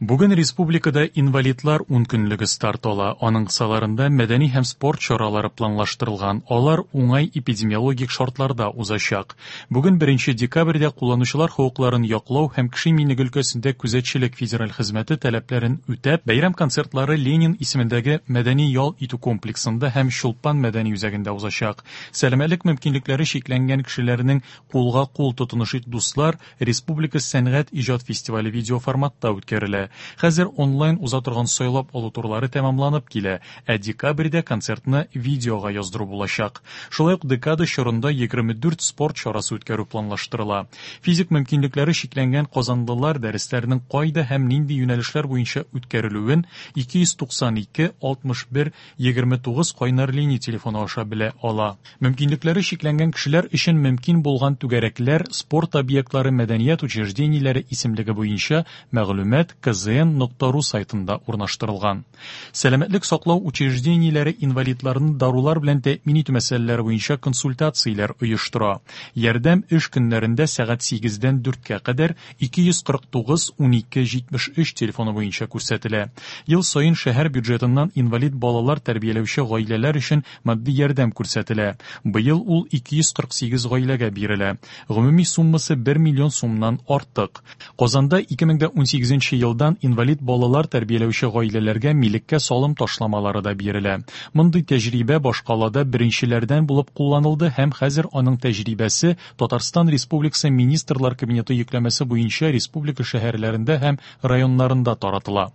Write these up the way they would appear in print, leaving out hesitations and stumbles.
Бүген республикада инвалидлар ункөнлеге старт ала. Аның кысаларында мәдәни һәм спорт чаралары планлаштырылган. Алар уңай эпидемиологик шартларда узачак. Бүген беренче декабрьдә кулланучылар хокукларын яклау һәм кеше иминлеге өлкәсендә күзәтчелек федераль хезмәте таләпләрен үтәп, бәйрәм концертлары Ленин исемендәге мәдәни-ял итү комплексында һәм Чулпан мәдәни үзәгендә узачак. Сәламәтлек мөмкинлекләре чикләнгән кешеләрнең Кулга-кул тотынышыйк, дуслар республика сәнгать иҗат фестивале видеоформатта үткәрелә. Хәзер онлайн уза торган сайлап алу турлары тәмамланып килә, ә декабрьдә концертны видеога яздыру булачак. Шулай ук декада чорында 24 спорт чарасы үткәрү планлаштырыла. Физик мөмкинлекләре чикләнгән казанлылар дәресләрнең кайда һәм нинди юнәлешләр буенча үткәрелүен 292 61 29 кайнар линия телефоны аша белә ала. Мөмкинлекләре чикләнгән кешеләр өчен мөмкин булган түгәрәкләр, спорт объектлары, мәдәният учреждениеләре исемлеге буенча мәгълүмат kzn нокта ру сайтында урнаштырылган. Сәламәтлек саклау учреждениеләре инвалидларны дарулар белән тәэмин итү мәсьәләләре буенча консультацияләр оештыра. Ярдәм эш көннәрендә сәгать сигездән дүрткә кадәр 249 12 73 телефоны буенча күрсәтелә. Ел саен шәһәр бюджетыннан инвалид балалар тәрбияләүче гаиләләр өчен матди ярдәм күрсәтелә. Быел ул 248 гаиләгә бирелә. Гомуми суммасы 1 миллион сумнан артык. Казанда 2018 нче елдан инвалид балалар тәрбияләүче гаиләләргә милеккә салым ташламалары да бирелә. Мондый тәҗрибә башкалада беренчеләрдән булып кулланылды һәм хәзер аның тәҗрибәсе Татарстан Республикасы Министрлар Кабинеты йөкләмәсе буенча республика шәһәрләрендә һәм районнарында таратыла.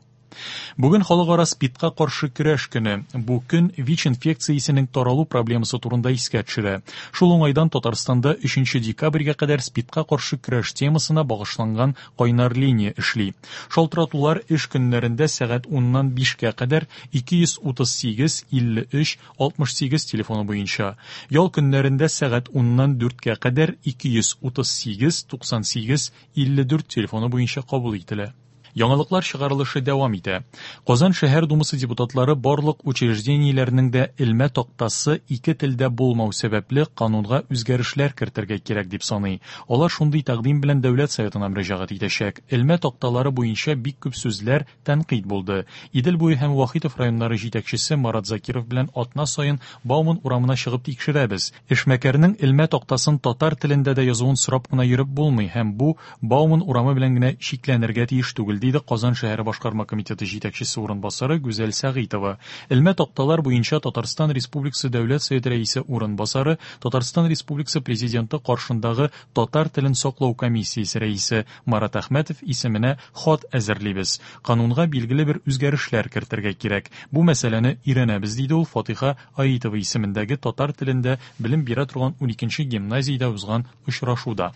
Бүген халыкара СПИДка каршы көрәш көне. Бу көн ВИЧ инфекциясенең таралу проблемасы турында искә төшерә. Шул уңайдан Татарстанда 3 декабрьгә кадәр СПИДка каршы көрәш темасына багышланган кайнар линия эшли. Шалтыратулар эш көннәрендә сәгать уннан бишкә кадәр 238 53 68 телефоны буенча, ял көннәрендә сәгать уннан дүрткә кадәр 238 98 54 телефоны буенча кабул ителә. Яңалыклар чыгарылышы дәвам итә. Казан шәһәр думасы депутатлары барлык учреждениеләрнең дә элмә тактасы ике телдә булмау сәбәпле канунга үзгәрешләр кертергә кирәк дип саный. Алар шундый тәкъдим белән Дәүләт Советына мөрәҗәгать итәчәк. Элмә такталары буенча бик күп сүзләр, тәнкыйть булды. Идел буе һәм Вахитов районнары җитәкчесе Марат Закиров белән атна саен Бауман урамына чыгып тикшерәбез. Эшмәкәрнең элмә тактасын татар телендә дә язуын сорап кына йөреп булмый һәм бу Бауман урамы белән генә чикләнергә тиеш түгел, диде Казан шәһәре башкарма комитеты җитәкчесе урынбасары Гүзәл Сәгыйтова. Элмә такталар буенча Татарстан Республикасы Дәүләт Советы Рәисе урынбасары, Татарстан Республикасы Президенты каршындагы татар телен саклау комиссиясе рәисе Марат Әхмәтов исеменә хат әзерлибез. Канунга билгеле бер үзгәрешләр кертергә кирәк. Бу мәсьәләне өйрәнәбез, диде ул Фатыйха Аитова исемендәге татар телендә белем бирә торган уникенче гимназиядә узган очрашуда.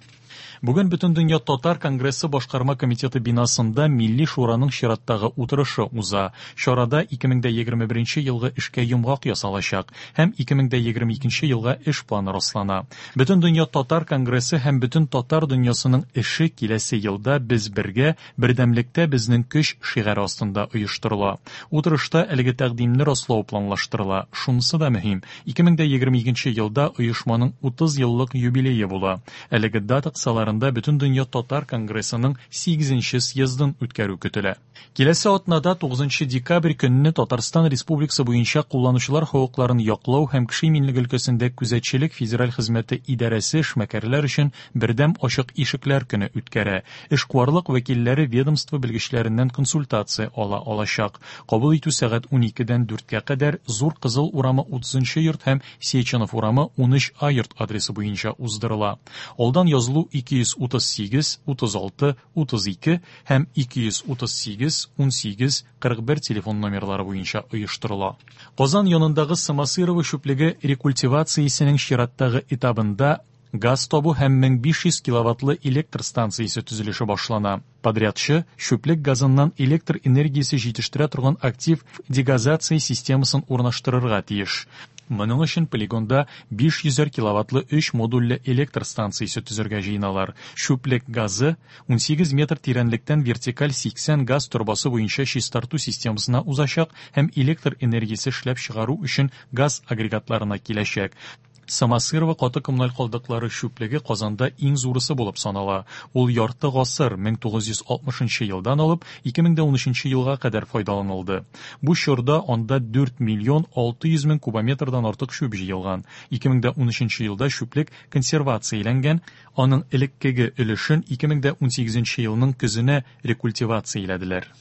Бүген Бөтендөнья татар конгрессы башкарма комитеты бинасында Милли шураның чираттагы утырышы уза. Чарада 2021 елгы эшкә йомгак ясалачак һәм 2022 елга эш планы раслана. Бөтендөнья татар конгрессы һәм бөтен татар дөньясының эше киләсе елда Без бергә, бердәмлектә безнең көч шигаре астында оештырыла. Утырышта әлеге тәкъдимне раслау планлаштырыла. Шунысы да мөһим, 2022 елда оешманың 30 еллык юбилее була. Әлеге дата кысаларында Бөтендөнья татар конгрессының сигезенче съездын үткәрү көтелә. Киләсе атнада, тугызынчы декабрь көнне Татарстан Республикасы буенча кулланучылар хокукларын яклау һәм кеше иминлеге өлкәсендә күзәтчелек федераль хезмәте идарәсе эшмәкәрләр өчен бердәм ачык ишекләр көне үткәрә. Эшкуарлык вәкилләре ведомство белгечләреннән консультация ала алачак. Кабул итү сәгать уникедән дүрткә кадәр Зур Кызыл урамы утызынчы йорт һәм Сеченов урамы 13 А йорт адресы буенча уздырыла. Алдан язылу 238 36 32 һәм 238 18 41 телефон номерлары буенча оештырыла. Казан янындагы Самосырово чүплеге рекультивациясенең чираттагы этабында газ табу һәм 1500 киловаттлы электр станциясе төзелеше башлана. Подрядчы чүплек газыннан электр энергиясе җитештерә торган актив дегазация системасын урнаштырырга тиеш. Моның өчен полигонда 500 киловаттлы өч модульле электр станциясе төзергә җыеналар. Чүплек газы 18 метр тирәнлектән вертикаль 80 газ торбасы буенча чистарту системасына узачак һәм электр энергиясе эшләп чыгару өчен газ агрегатларына киләчәк. Самосырово каты коммуналь калдыклары чүплеге Казанда иң зурысы булып санала. Ул ярты гасыр, 1960 елдан алып 2013 елга кадәр файдаланылды. Бу чорда анда 4 миллион 600 мең кубометрдан артык чүп җыелган. 2013 елда чүплек консервацияләнгән, аның элеккеге өлешен 2018 елның көзенә рекультивацияләделәр.